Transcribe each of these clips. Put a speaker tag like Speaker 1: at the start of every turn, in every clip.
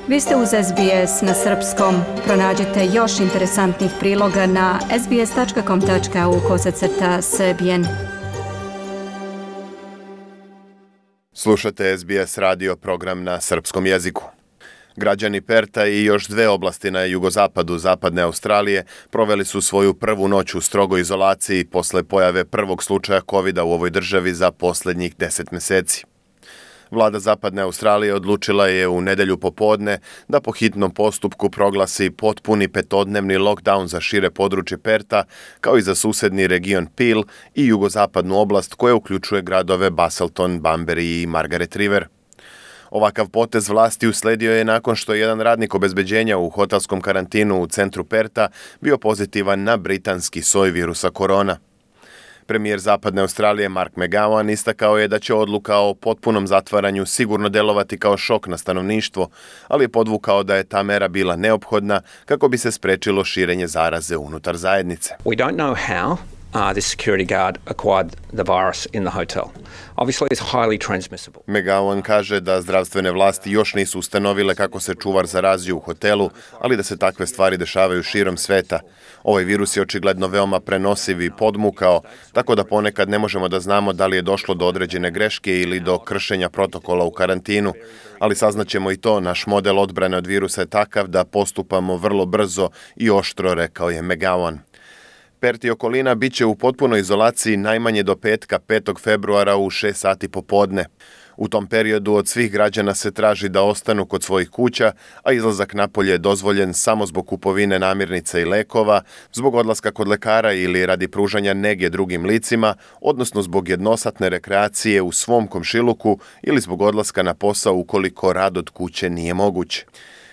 Speaker 1: Vi ste uz SBS na srpskom. Pronađite još interesantnih priloga na sbs.com.au/srbijen.
Speaker 2: Slušate SBS radio program na srpskom jeziku. Građani Perta i još dve oblasti na jugozapadu zapadne Australije proveli su svoju prvu noć u strogoj izolaciji posle pojave prvog slučaja COVID-a u ovoj državi za posljednjih 10 meseci. Vlada zapadne Australije odlučila je u nedelju popodne da po hitnom postupku proglasi potpuni petodnevni lockdown za šire područje Perta, kao i za susedni region Peel i jugozapadnu oblast koja uključuje gradove Busselton, Bunbury i Margaret River. Ovakav potez vlasti usledio je nakon što je jedan radnik obezbeđenja u hotelskom karantinu u centru Perta bio pozitivan na britanski soj virusa korona. Premijer zapadne Australije Mark McGowan istakao je da će odluka o potpunom zatvaranju sigurno delovati kao šok na stanovništvo, ali je podvukao da je ta mera bila neophodna kako bi se sprečilo širenje zaraze unutar zajednice.
Speaker 3: We don't know how this security guard acquired the virus in the hotel. Obviously it's highly transmissible.
Speaker 2: McGowan kaže da zdravstvene vlasti još nisu ustanovile kako se čuvar zarazio u hotelu, ali da se takve stvari dešavaju širom sveta. Ovaj virus je očigledno veoma prenosiv i podmukao, tako da ponekad ne možemo da znamo da li je došlo do određene greške ili do kršenja protokola u karantinu, ali saznaćemo i to, naš model odbrane od virusa je takav da postupamo vrlo brzo i oštro, rekao je McGowan. Perth i okolina bit će u potpunoj izolaciji najmanje do petka 5. februara u 6 sati popodne. U tom periodu od svih građana se traži da ostanu kod svojih kuća, a izlazak napolje je dozvoljen samo zbog kupovine namirnica i lekova, zbog odlaska kod lekara ili radi pružanja nege drugim licima, odnosno zbog jednosatne rekreacije u svom komšiluku ili zbog odlaska na posao ukoliko rad od kuće nije moguć.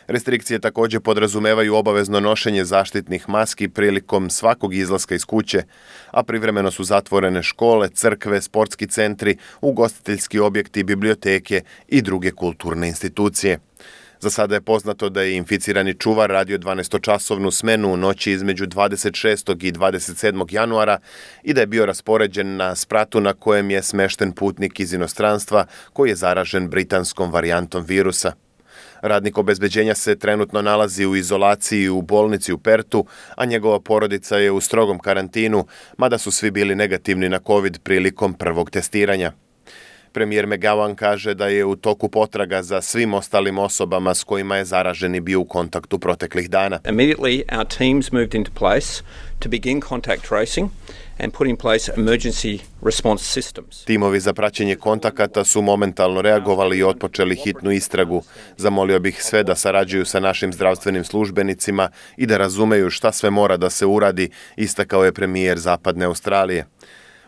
Speaker 2: Restrikcije također podrazumevaju obavezno nošenje zaštitnih maski prilikom svakog izlaska iz kuće, a privremeno su zatvorene škole, crkve, sportski centri, ugostiteljski objekti, biblioteke i druge kulturne institucije. Za sada je poznato da je inficirani čuvar radio 12-časovnu smenu u noći između 26. i 27. januara i da je bio raspoređen na spratu na kojem je smešten putnik iz inostranstva koji je zaražen britanskom varijantom virusa. Radnik obezbeđenja se trenutno nalazi u izolaciji u bolnici u Pertu, a njegova porodica je u strogom karantinu, mada su svi bili negativni na COVID prilikom prvog testiranja. Premijer McGowan kaže da je u toku potraga za svim ostalim osobama s kojima je zaraženi bio u kontaktu proteklih dana.
Speaker 3: Immediately our teams moved into place to begin contact tracing and put in place emergency response systems.
Speaker 2: Timovi za praćenje kontakata su momentalno reagovali i otpočeli hitnu istragu. Zamolio bih sve da sarađuju sa našim zdravstvenim službenicima i da razumeju šta sve mora da se uradi, istakao je premijer zapadne Australije.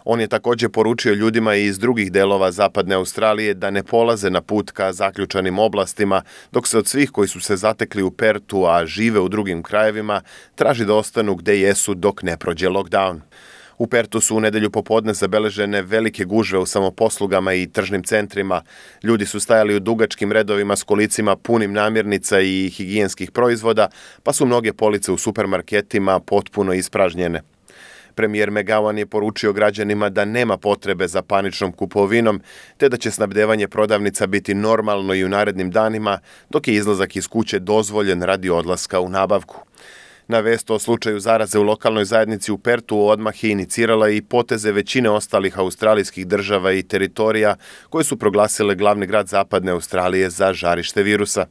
Speaker 2: On je također poručio ljudima iz drugih delova zapadne Australije da ne polaze na put ka zaključanim oblastima, dok se od svih koji su se zatekli u Pertu, a žive u drugim krajevima, traži da ostanu gde jesu dok ne prođe lockdown. U Pertu su u nedelju popodne zabeležene velike gužve u samoposlugama i tržnim centrima. Ljudi su stajali u dugačkim redovima s kolicima punim namirnica i higijenskih proizvoda, pa su mnoge police u supermarketima potpuno ispražnjene. Premijer McGowan je poručio građanima da nema potrebe za paničnom kupovinom, te da će snabdevanje prodavnica biti normalno i u narednim danima, dok je izlazak iz kuće dozvoljen radi odlaska u nabavku. Na vest o slučaju zaraze u lokalnoj zajednici u Pertu odmah je inicirala i poteze većine ostalih australijskih država i teritorija koje su proglasile glavni grad zapadne Australije za žarište virusa.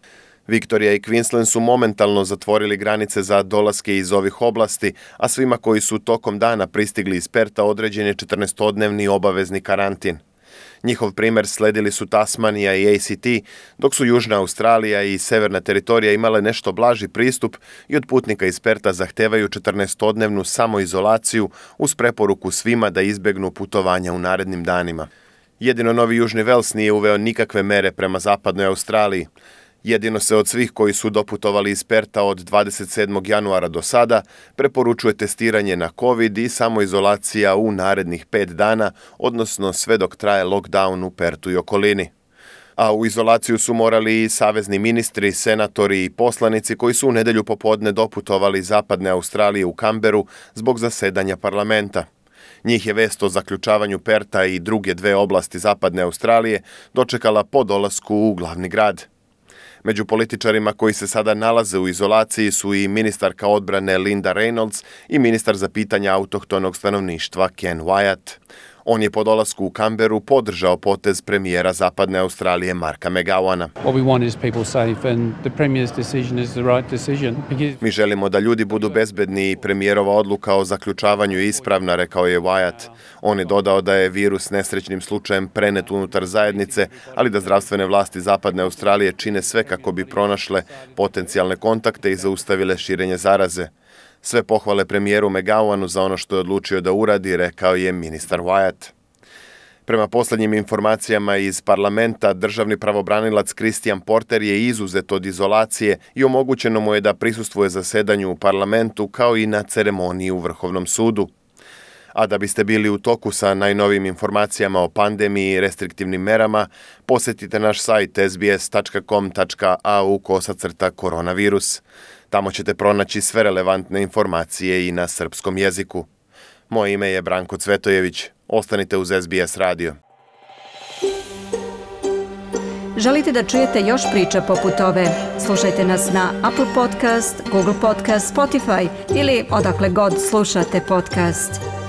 Speaker 2: Victoria i Queensland su momentalno zatvorili granice za dolaske iz ovih oblasti, a svima koji su tokom dana pristigli iz Perta određen je 14-dnevni obavezni karantin. Njihov primjer sledili su Tasmanija i ACT, dok su Južna Australija i Severna teritorija imale nešto blaži pristup i od putnika iz Perta zahtevaju 14-dnevnu samoizolaciju uz preporuku svima da izbegnu putovanja u narednim danima. Jedino Novi Južni Vels nije uveo nikakve mere prema zapadnoj Australiji. Jedino se od svih koji su doputovali iz Perta od 27. januara do sada preporučuje testiranje na COVID i samoizolacija u narednih 5 dana, odnosno sve dok traje lockdown u Pertu i okolini. A u izolaciju su morali i savezni ministri, senatori i poslanici koji su u nedelju popodne doputovali iz zapadne Australije u Kamberu zbog zasedanja parlamenta. Njih je vest o zaključavanju Perta i druge dve oblasti zapadne Australije dočekala po dolasku u glavni grad. Među političarima koji se sada nalaze u izolaciji su i ministarka odbrane Linda Reynolds i ministar za pitanja autohtonog stanovništva Ken Wyatt. On je po dolasku u Canberru podržao potez premijera Zapadne Australije Marka McGowana. Mi želimo da ljudi budu bezbedni i premijerova odluka o zaključavanju je ispravna, rekao je Wyatt. On je dodao da je virus nesrećnim slučajem prenet unutar zajednice, ali da zdravstvene vlasti Zapadne Australije čine sve kako bi pronašle potencijalne kontakte i zaustavile širenje zaraze. Sve pohvale premijeru McGowanu za ono što je odlučio da uradi, rekao je ministar Wyatt. Prema posljednjim informacijama iz parlamenta, državni pravobranilac Christian Porter je izuzet od izolacije i omogućeno mu je da prisustvuje zasedanju u parlamentu kao i na ceremoniji u Vrhovnom sudu. A da biste bili u toku sa najnovijim informacijama o pandemiji i restriktivnim merama, posjetite naš sajt sbs.com.au/koronavirus. Tamo ćete pronaći sve relevantne informacije i na srpskom jeziku. Moje ime je Branko Cvetojević. Ostanite uz SBS radio.
Speaker 1: Želite da čujete još priča poput ove? Slušajte nas na Apple Podcast, Google Podcast, Spotify ili odakle god slušate podcast.